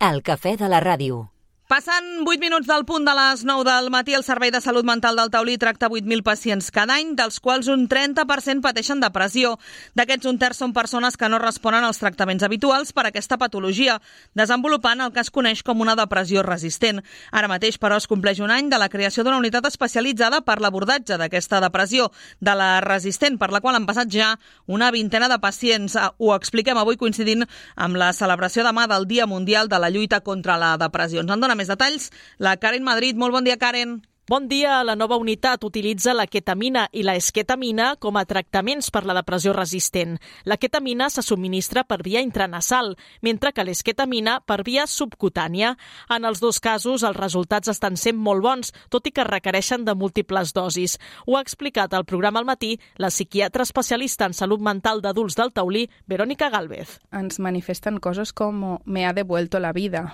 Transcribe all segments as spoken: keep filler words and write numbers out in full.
El cafè de la ràdio. Passant vuit minuts del punt de les nou del matí, el Servei de Salut Mental del Taulí tracta vuit mil pacients cada any, dels quals un trenta per cent pateixen depressió. D'aquests, un terç són persones que no responen als tractaments habituals per a aquesta patologia, desenvolupant el que es coneix com una depressió resistent. Ara mateix, però, es compleix un any de la creació d'una unitat especialitzada per l'abordatge d'aquesta depressió, de la resistent, per la qual han passat ja una vintena de pacients. Ho expliquem avui coincidint amb la celebració demà del Dia Mundial de la Lluita contra la Depressió. Ens en dona més detalls la Karen Madrid. Molt bon dia, Karen. Bon dia. La nova unitat utilitza la ketamina i la esketamina com a tractaments per la depressió resistent. La ketamina se subministra per via intranasal, mentre que l'esketamina per via subcutània. En els dos casos, els resultats estan sent molt bons, tot i que requereixen de múltiples dosis. Ho ha explicat al programa al matí la psiquiatra especialista en salut mental d'adults del Taulí, Verónica Gálvez. Ens manifesten coses com me ha devuelto la vida.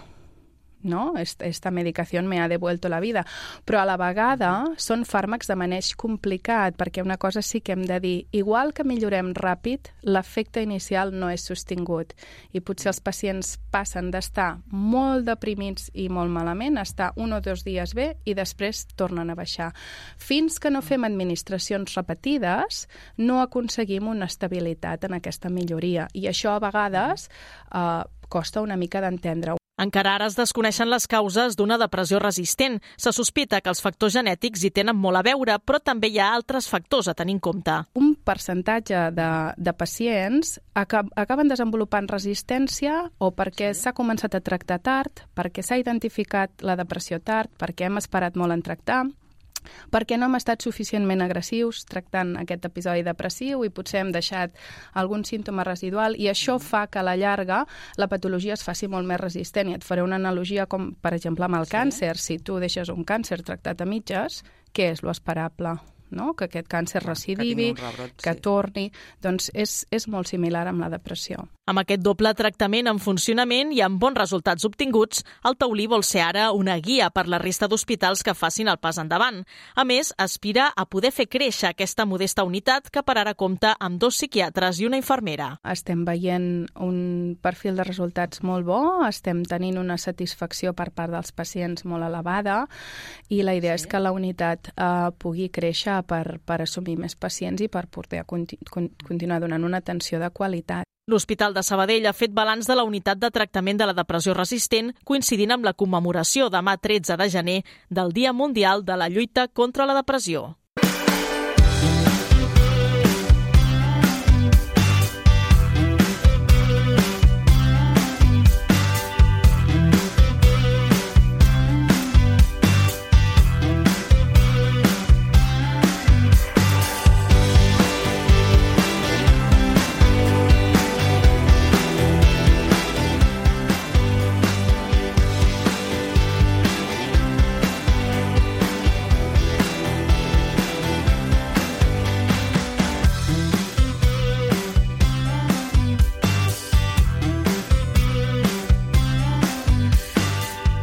No? Esta medicación me ha devuelto la vida. Però a la vegada són fàrmacs de maneig complicat, perquè una cosa sí que hem de dir, igual que millorem ràpid, l'efecte inicial no és sostingut. I potser els pacients passen d'estar molt deprimits i molt malament a estar un o dos dies bé i després tornen a baixar. Fins que no fem administracions repetides, no aconseguim una estabilitat en aquesta milloria. I això a vegades eh, costa una mica d'entendre. Encara ara es desconeixen les causes d'una depressió resistent. Se sospita que els factors genètics hi tenen molt a veure, però també hi ha altres factors a tenir en compte. Un percentatge de, de pacients acab, acaben desenvolupant resistència o perquè s'ha començat a tractar tard, perquè s'ha identificat la depressió tard, perquè hem esperat molt en tractar, perquè no hem estat suficientment agressius tractant aquest episodi depressiu i potser hem deixat algun símptoma residual i això fa que a la llarga la patologia es faci molt més resistent. I et faré una analogia com, per exemple, amb el sí. càncer. Si tu deixes un càncer tractat a mitges, què és lo esperable? No? Que aquest càncer recidivi, que, rebrot, sí. que torni... Doncs és, és molt similar amb la depressió. Amb aquest doble tractament en funcionament i amb bons resultats obtinguts, el Taulí vol ser ara una guia per la resta d'hospitals que facin el pas endavant. A més, aspira a poder fer créixer aquesta modesta unitat que per ara compta amb dos psiquiatres i una infermera. Estem veient un perfil de resultats molt bo, estem tenint una satisfacció per part dels pacients molt elevada i la idea sí. és que la unitat eh, pugui créixer per, per assumir més pacients i per poder conti- continuar donant una atenció de qualitat. L'Hospital de Sabadell ha fet balanç de la unitat de tractament de la depressió resistent coincidint amb la commemoració demà tretze de gener del Dia Mundial de la Lluita contra la Depressió.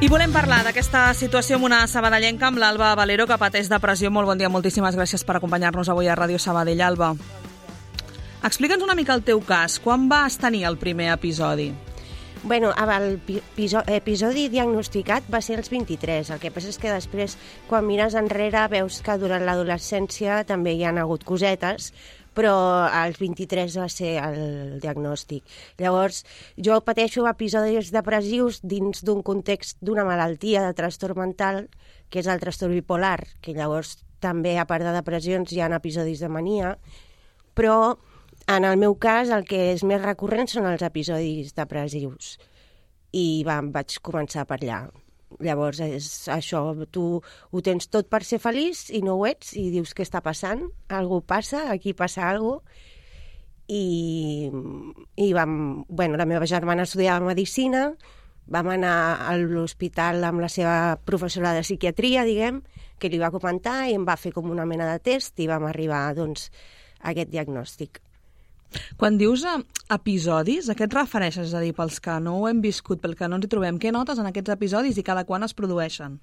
I volem parlar d'aquesta situació amb una sabadellenca, amb l'Alba Valero, que pateix depressió. Molt bon dia, moltíssimes gràcies per acompanyar-nos avui a Ràdio Sabadell. Alba, explica'ns una mica el teu cas. Quan vas tenir el primer episodi? Bueno, el episodi diagnosticat va ser als vint-i-tres. El que passa és que després, quan mires enrere, veus que durant l'adolescència també hi ha hagut cosetes, però als vint-i-tres va ser el diagnòstic. Llavors, jo pateixo episodis depressius dins d'un context d'una malaltia de trastorn mental, que és el trastorn bipolar, que llavors també, a part de depressions, hi ha episodis de mania, però en el meu cas el que és més recurrent són els episodis depressius. I va, vaig començar per allà. Llavors, és això, tu ho tens tot per ser feliç i no ho ets, i dius què està passant, algú passa, aquí passa alguna cosa, i, i vam, bueno, la meva germana estudiava medicina, vam anar a l'hospital amb la seva professora de psiquiatria, diguem, que li va comentar i em va fer com una mena de test i vam arribar, doncs, a aquest diagnòstic. Quan dius episodis, a què et refereixes? És a dir, pels que no ho hem viscut, pel que no ens hi trobem, què notes en aquests episodis i cada quan es produeixen?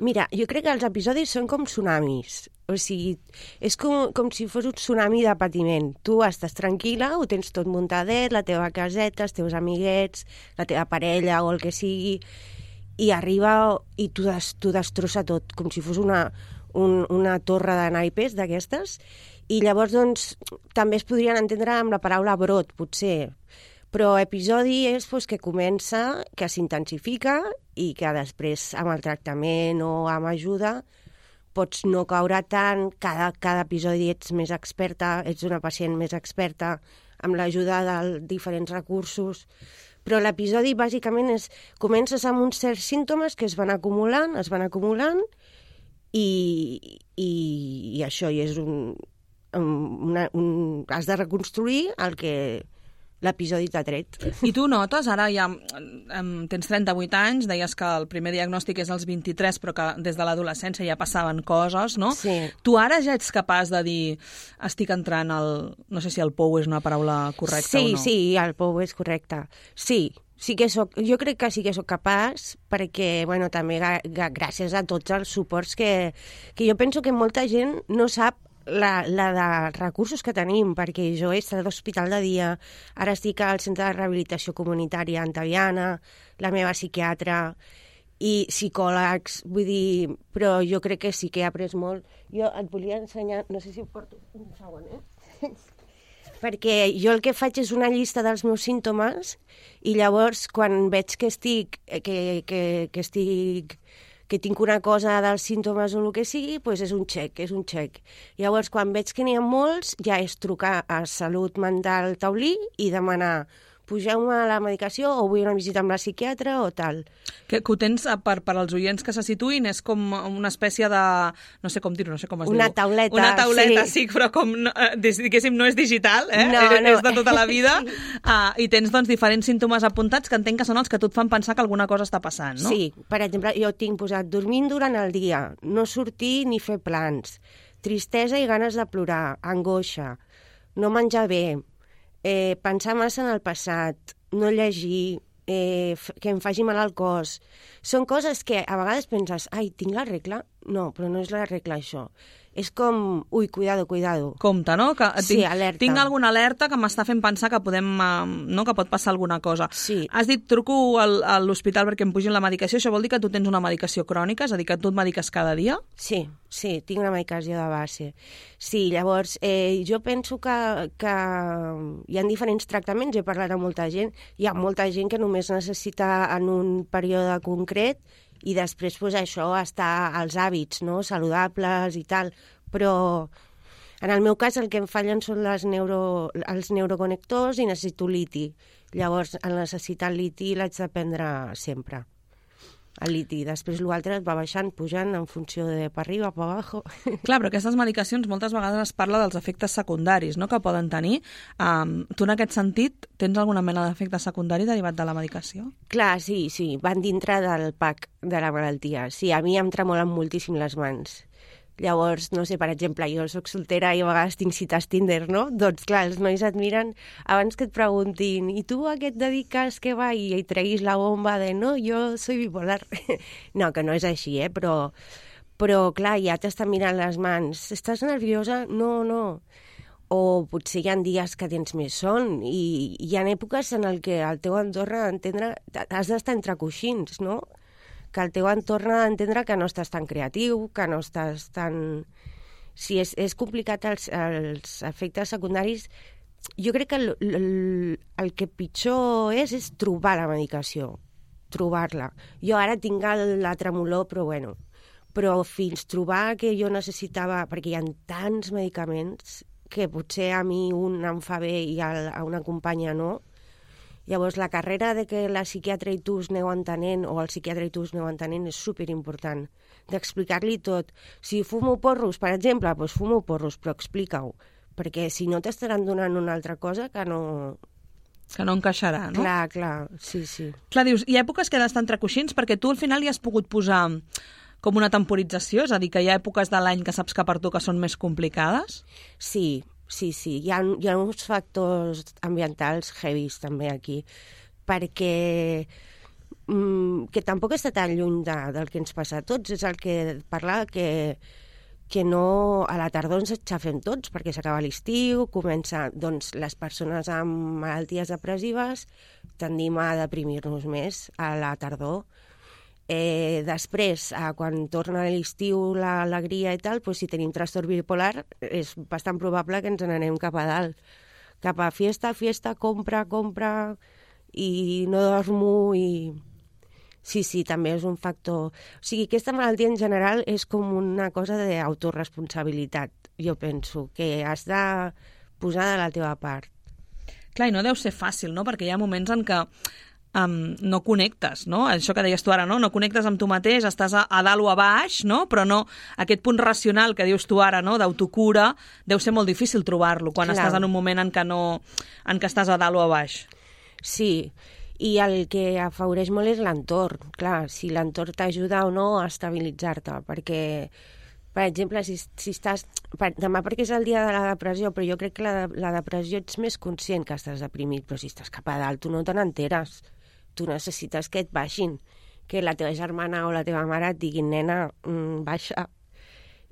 Mira, jo crec que els episodis són com tsunamis. O sigui, és com, com si fos un tsunami de patiment. Tu estàs tranquil·la, ho tens tot muntadet, la teva caseta, els teus amiguets, la teva parella o el que sigui, i arriba i t'ho des, destrossa tot, com si fos una, un, una torre de naipes d'aquestes. I llavors, doncs, també es podrien entendre amb la paraula brot, potser. Però episodi és pues, que comença, que s'intensifica i que després, amb el tractament o amb ajuda, pots no caure tant, cada, cada episodi ets més experta, ets una pacient més experta, amb l'ajuda de diferents recursos. Però l'episodi, bàsicament, és comences amb uns certs símptomes que es van acumulant, es van acumulant, i, i, i això, i és un, una, un... has de reconstruir el que l'episodi t'ha tret. I tu notes, ara ja um, tens trenta-vuit anys, deies que el primer diagnòstic és als vint-i-tres, però que des de l'adolescència ja passaven coses, no? Sí. Tu ara ja ets capaç de dir estic entrant al... No sé si el pou és una paraula correcta sí, o no. Sí, sí, el pou és correcte. Sí, sí que soc, jo crec que sí que sóc capaç, perquè, bueno, també gràcies a tots els suports que, que jo penso que molta gent no sap La, la de recursos que tenim, perquè jo he estat a l'hospital de dia, ara estic al centre de rehabilitació comunitària Antaviana, la meva psiquiatra i psicòlegs, vull dir, però jo crec que sí que he après molt. Jo et volia ensenyar, no sé si ho porto un segon, eh? Perquè jo el que faig és una llista dels meus símptomes i llavors quan veig que estic, que, que, que estic... que tinc una cosa dels símptomes o el que sigui, doncs és un xec, és un xec. Llavors, quan veig que n'hi ha molts, ja és trucar a Salut Mental Taulí i demanar pugeu-me a la medicació o vull una visita amb la psiquiatra o tal. Que, que ho tens, per, per als oients que se situïn, és com una espècie de... No sé com dir-ho, no sé com es una diu. Tauleta, una tauleta, sí. sí, però com, diguéssim, no és digital, eh? No, és, no. és de tota la vida. uh, I tens, doncs, diferents símptomes apuntats que entenc que són els que a tu et fan pensar que alguna cosa està passant, no? Sí, per exemple, jo tinc posat dormint durant el dia, no sortir ni fer plans, tristesa i ganes de plorar, angoixa, no menjar bé, Eh, pensar massa en el passat, no llegir, eh, que em faci mal al cos. Són coses que a vegades penses, ai, tinc la regla? No, però no és la regla, això. És com, ui, cuidado, cuidado. Compte, no? Que sí, tinc, alerta. Tinc alguna alerta que m'està fent pensar que podem, no, que pot passar alguna cosa. Sí. Has dit, truco al, a l'hospital perquè em pugin la medicació. Això vol dir que tu tens una medicació crònica? És a dir, que tu et mediques cada dia? Sí, sí, tinc una medicació de base. Sí, llavors, eh, jo penso que, que hi ha diferents tractaments, he parlat amb molta gent, hi ha molta gent que només necessita en un període concret i després, pues, això, està als hàbits, no?, saludables i tal. Però en el meu cas el que em fallen són les neuro, els neuroconnectors i necessito liti. Llavors, el necessitar el liti l'haig de prendre sempre. El liti. Després l'altre va baixant, pujant en funció de per arriba, per abajo. Clar, però aquestes medicacions moltes vegades es parla dels efectes secundaris, no?, que poden tenir. Um, tu en aquest sentit tens alguna mena d'efecte secundari derivat de la medicació? Clar, sí, sí, van dintre del pack de la malaltia. Sí, a mi em tremolen moltíssim les mans. Llavors, no sé, per exemple, jo soc soltera i a vegades tinc cites Tinder, no? Doncs, clar, els nois et miren abans que et preguntin i tu a què et dediques, què va? I et treguis la bomba de no, jo soy bipolar. No, que no és així, eh? Però, però clar, ja t'estan mirant les mans. Estàs nerviosa? No, no. O potser hi ha dies que tens més son i hi ha èpoques en què el teu entorn ha d'entendre... Has d'estar entre coixins, no? Que el teu entorn ha d'entendre que no estàs tan creatiu, que no estàs tan... Sí, és, és complicat els, els efectes secundaris. Jo crec que el, el, el que pitjor és és trobar la medicació, trobar-la. Jo ara tinc la tremolor, però bueno, però fins trobar que jo necessitava, perquè hi ha tants medicaments que potser a mi un em fa bé i a, a una companya no. Llavors, la carrera de que la psiquiatra i tu us aneu entenent, o el psiquiatre i tu us aneu entenent, és superimportant, d'explicar-li tot. Si fumo porros, per exemple, doncs fumo porros, però explica-ho, perquè si no t'estaran donant una altra cosa que no... Que no encaixarà, no? Clar, clar, sí, sí. Clar, dius, hi ha èpoques que han d'estar entre coixins perquè tu al final hi has pogut posar com una temporització, és a dir, que hi ha èpoques de l'any que saps que per tu que són més complicades? Sí, Sí, sí, hi ha, hi ha uns factors ambientals heavies també aquí, perquè mm, que tampoc està tan lluny de, del que ens passa a tots, és el que parlava que, que no a la tardor ens aixafem tots, perquè s'acaba l'estiu, comença, doncs, les persones amb malalties depressives tendim a deprimir-nos més a la tardor. Eh, després, eh, quan torna l'estiu, l'alegria i tal, doncs, si tenim trastorn bipolar, és bastant probable que ens n'anem cap a dalt, cap a fiesta, fiesta, compra, compra, i no dormo, i... Sí, sí, també és un factor... O sigui, aquesta malaltia en general és com una cosa d'autoresponsabilitat, jo penso, que has de posar de la teva part. Clar, i no deu ser fàcil, no?, perquè hi ha moments en què Um, no connectes, no? Això que deies tu ara, no? No connectes amb tu mateix, estàs a, a dalt o a baix, no? Però no, aquest punt racional que dius tu ara, no?, d'autocura, deu ser molt difícil trobar-lo quan Clar. estàs en un moment en què, no, en què estàs a dalt o a baix. Sí, i el que afavoreix molt és l'entorn. Clar, si l'entorn t'ajuda o no a estabilitzar-te, perquè, per exemple, si, si estàs... Per, demà perquè és el dia de la depressió, però jo crec que la, la depressió ets més conscient que estàs deprimit, però si estàs cap a dalt tu no te n'enteres. Tu necessites que et baixin, que la teva germana o la teva mare et diguin, nena, mm, baixa.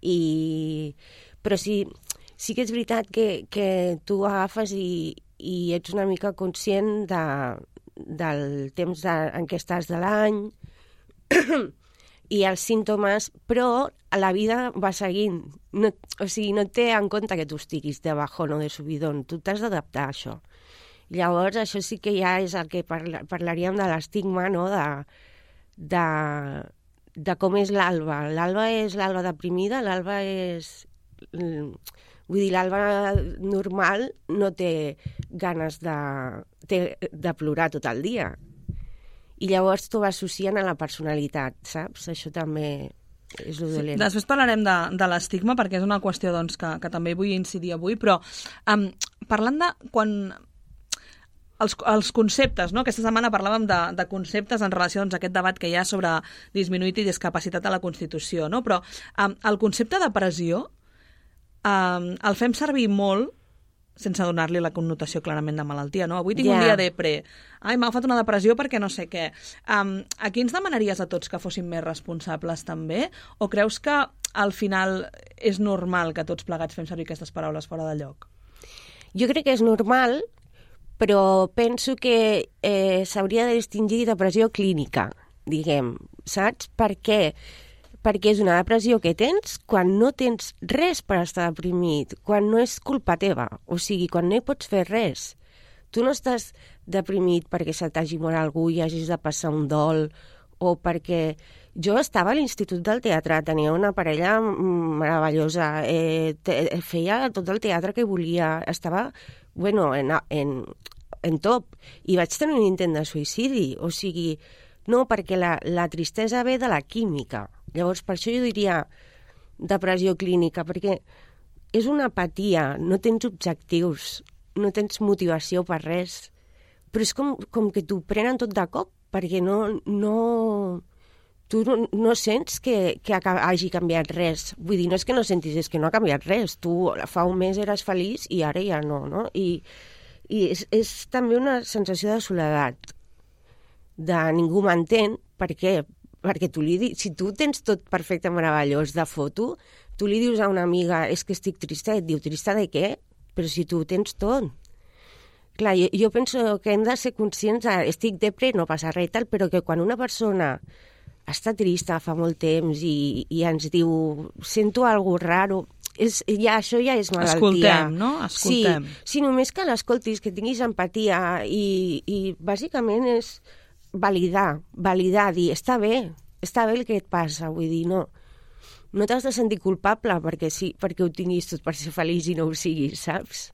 I... Però sí, sí que és veritat que, que tu agafes i, i ets una mica conscient de, del temps de, en què estàs de l'any i els símptomes, però la vida va seguint. No, o sigui, no et té en compte que tu estiguis de bajón o de subidón. Tu t'has d'adaptar a això. Llavors, això sí que ja és el que parla, parlaríem de l'estigma, no?, de, de, de com és l'Alba. L'Alba és l'Alba deprimida, l'Alba és... Vull dir, l'Alba normal no té ganes de, té, de plorar tot el dia. I llavors t'ho associen a la personalitat, saps? Això també és lo dolent. Sí, després parlarem de, de l'estigma, perquè és una qüestió doncs, que, que també vull incidir avui, però um, parlant de quan... Els, els conceptes, no? Aquesta setmana parlàvem de, de conceptes en relació doncs, a aquest debat que hi ha sobre disminuït i discapacitat a la Constitució, no? Però um, el concepte de depressió um, el fem servir molt sense donar-li la connotació clarament de malaltia, no? Avui tinc yeah. un dia depre. Ai, m'ha agafat una depressió perquè no sé què. Um, aquí ens demanaries a tots que fóssim més responsables també? O creus que al final és normal que tots plegats fem servir aquestes paraules fora de lloc? Jo crec que és normal, però penso que eh, s'hauria de distingir depressió clínica, diguem, saps? Per què? Perquè és una depressió que tens quan no tens res per estar deprimit, quan no és culpa teva, o sigui, quan no hi pots fer res. Tu no estàs deprimit perquè se t'hagi mort algú i hagis de passar un dol, o perquè... Jo estava a l'Institut del Teatre, tenia una parella meravellosa, eh, te, feia tot el teatre que volia, estava, bueno, en, en, en top, i vaig tenir un intent de suïcidi, o sigui, no, perquè la, la tristesa ve de la química. Llavors, per això jo diria depressió clínica, perquè és una apatia, no tens objectius, no tens motivació per res, però és com, com que t'ho prenen tot de cop, perquè no... no tu no, no sents que, que hagi canviat res. Vull dir, no és que no sentis, és que no ha canviat res. Tu fa un mes eres feliç i ara ja no, no? I, i és, és també una sensació de soledat, de ningú m'entén, per què? Perquè tu li dius, si tu tens tot perfecte, meravellós de foto, tu li dius a una amiga, és que estic trista, i et diu, trista de què? Però si tu tens tot. Clar, jo, jo penso que hem de ser conscients de, estic depre, no passa res i tal, però que quan una persona està trista fa molt temps i, i ens diu sento algo raro, és, ja, això ja és malaltia. Escoltem, no? Escoltem. Sí, sí, només que l'escoltis, que tinguis empatia i, i bàsicament és validar, validar, dir, està bé, està bé el que et passa, vull dir, no, no t'has de sentir culpable perquè, sí, perquè ho tinguis tot per ser feliç i no ho siguis, saps?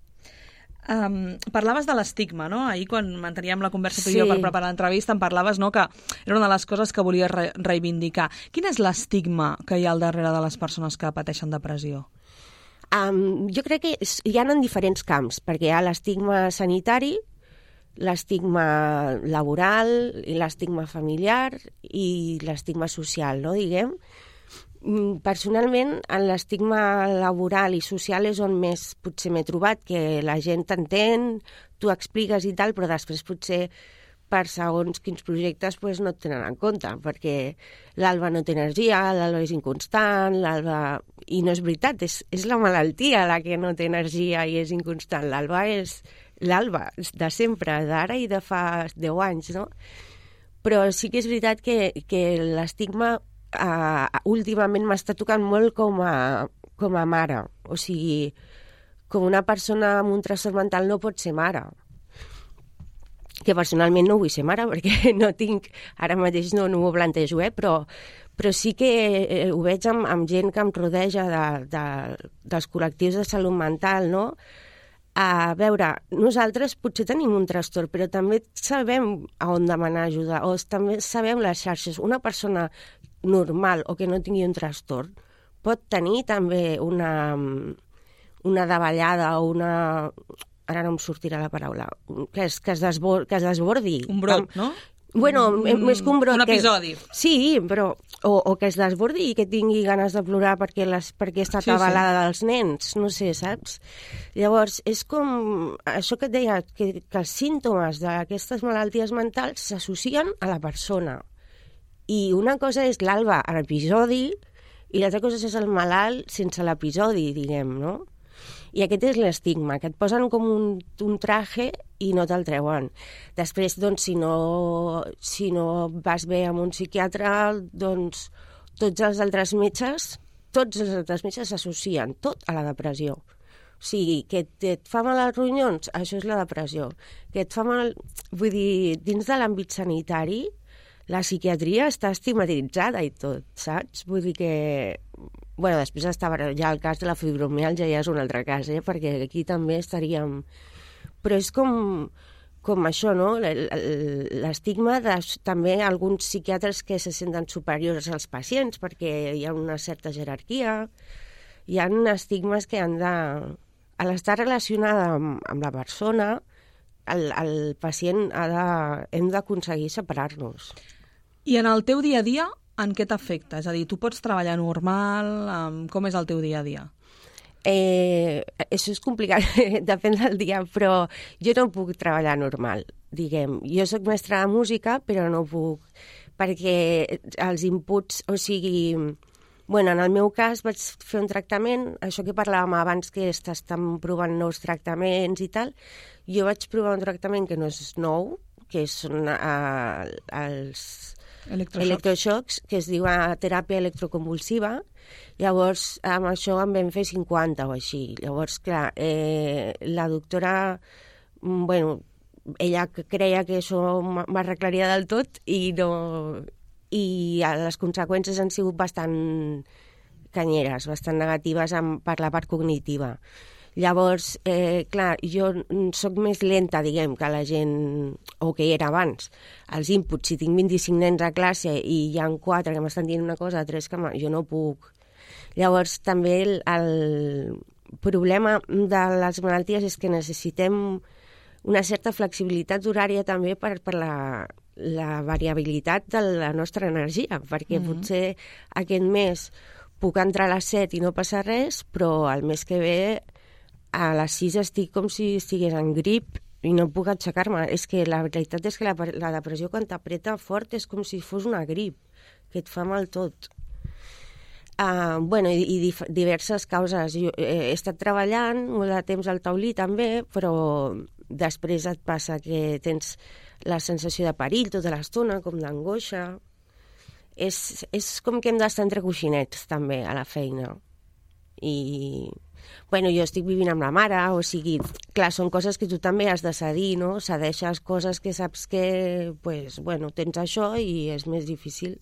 Um, parlaves de l'estigma, no? Ahir quan manteníem la conversa tu sí. i jo per preparar l'entrevista em parlaves, no?, que era una de les coses que volies re reivindicar. Quin és l'estigma que hi ha al darrere de les persones que pateixen depressió? Um, jo crec que hi ha en diferents camps, perquè hi ha l'estigma sanitari, l'estigma laboral, i l'estigma familiar i l'estigma social, no?, diguem. Personalment, en l'estigma laboral i social és on més potser m'he trobat, que la gent t'entén, tu expliques i tal, però després potser per segons quins projectes pues, no et tenen en compte, perquè l'Alba no té energia, l'Alba és inconstant, l'Alba... I no és veritat, és, és la malaltia la que no té energia i és inconstant. L'Alba és l'Alba de sempre, d'ara i de fa deu anys, no? Però sí que és veritat que, que l'estigma uh, últimament m'està tocant molt com a, com a mare. O sigui, com una persona amb un trastorn mental no pot ser mare. Que personalment no vull ser mare perquè no tinc, ara mateix no, no m'ho plantejo, eh? però, però sí que eh, ho veig amb, amb gent que em rodeja de, de, dels col·lectius de salut mental, no? A veure, nosaltres potser tenim un trastorn, però també sabem a on demanar ajuda, o també sabem les xarxes. Una persona normal o que no tingui un trastorn pot tenir també una, una davallada o una... Ara no em sortirà la paraula, que es, que es, desbor, que es desbordi. Un brot, no? Bueno, un, més que un brot. Un episodi. Que, sí, però... O, o que es desbordi i que tingui ganes de plorar perquè, les, perquè està sí, atabalada sí. dels nens, no sé, saps? Llavors, és com... Això que et deia, que, que els símptomes d'aquestes malalties mentals s'associen a la persona. I una cosa és l'Alba a l'episodi i l'altra cosa és el malalt sense l'episodi, diguem, no? I aquest és l'estigma, que et posen com un, un traje i no te'l treuen. Després, doncs, si no, si no vas bé amb un psiquiatre, doncs tots els altres metges, tots els altres metges s'associen tot a la depressió. O sigui, que et, et fa mal als ronyons, això és la depressió. Que et fa mal... Vull dir, dins de l'àmbit sanitari, la psiquiatria està estigmatitzada i tot, saps? Vull dir que... Bueno, després estava ja el cas de la fibromialgia, ja és un altre cas, eh? Perquè aquí també estaríem... Però és com, com això, no? L'estigma de també alguns psiquiatres que se senten superiors als pacients perquè hi ha una certa jerarquia, hi ha estigmes que han de... A l'estar relacionada amb, amb la persona, el, el pacient ha de... hem d'aconseguir separar-nos. I en el teu dia a dia, en què t'afecta? És a dir, tu pots treballar normal? Com és el teu dia a dia? Eh, això és complicat, depèn del dia, però jo no puc treballar normal, diguem. Jo sóc mestra de música, però no puc, perquè els inputs, o sigui... Bueno, en el meu cas vaig fer un tractament, això que parlàvem abans que estan provant nous tractaments i tal, jo vaig provar un tractament que no és nou, que són uh, els... Electroxocs. electroxocs, que es diu teràpia electroconvulsiva. Llavors, amb això en vam fer cinquanta o així. Llavors, clar, eh, la doctora, bueno, ella creia que això m'arreglaria del tot i no... I les conseqüències han sigut bastant canyeres, bastant negatives amb, per la part cognitiva. Llavors, eh, clar, jo sóc més lenta, diguem, que la gent, o que era abans. Els inputs, si tinc vint-i-cinc nens a classe i hi ha quatre que m'estan dient una cosa, tres que jo no puc. Llavors, també el, el problema de les malalties és que necessitem una certa flexibilitat horària també per, per la, la variabilitat de la nostra energia, perquè mm-hmm. potser aquest mes puc entrar a les set i no passa res, però el mes que ve a les sis estic com si estigués en grip i no puc aixecar-me. És que la veritat és que la, la depressió quan t'apreta fort és com si fos una grip, que et fa mal tot. Uh, bueno, i, i dif- diverses causes. Jo he estat treballant molt de temps al taulí també, però després et passa que tens la sensació de perill tota l'estona, com d'angoixa. És, és com que hem d'estar entre coixinets també a la feina. I... Bueno, jo estic vivint amb la mare, o sigui, clar, són coses que tu també has de cedir, no? Cedeixes coses que saps que, pues, bueno, tens això i és més difícil.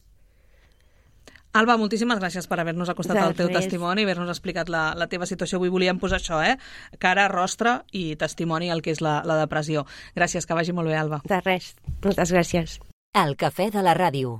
Alba, moltíssimes gràcies per haver-nos acostat al teu testimoni i haver-nos explicat la, la teva situació. Avui volíem posar això, eh? Cara, rostre i testimoni al que és la, la depressió. Gràcies, que vagi molt bé, Alba. De res. Moltes gràcies. El cafè de la ràdio.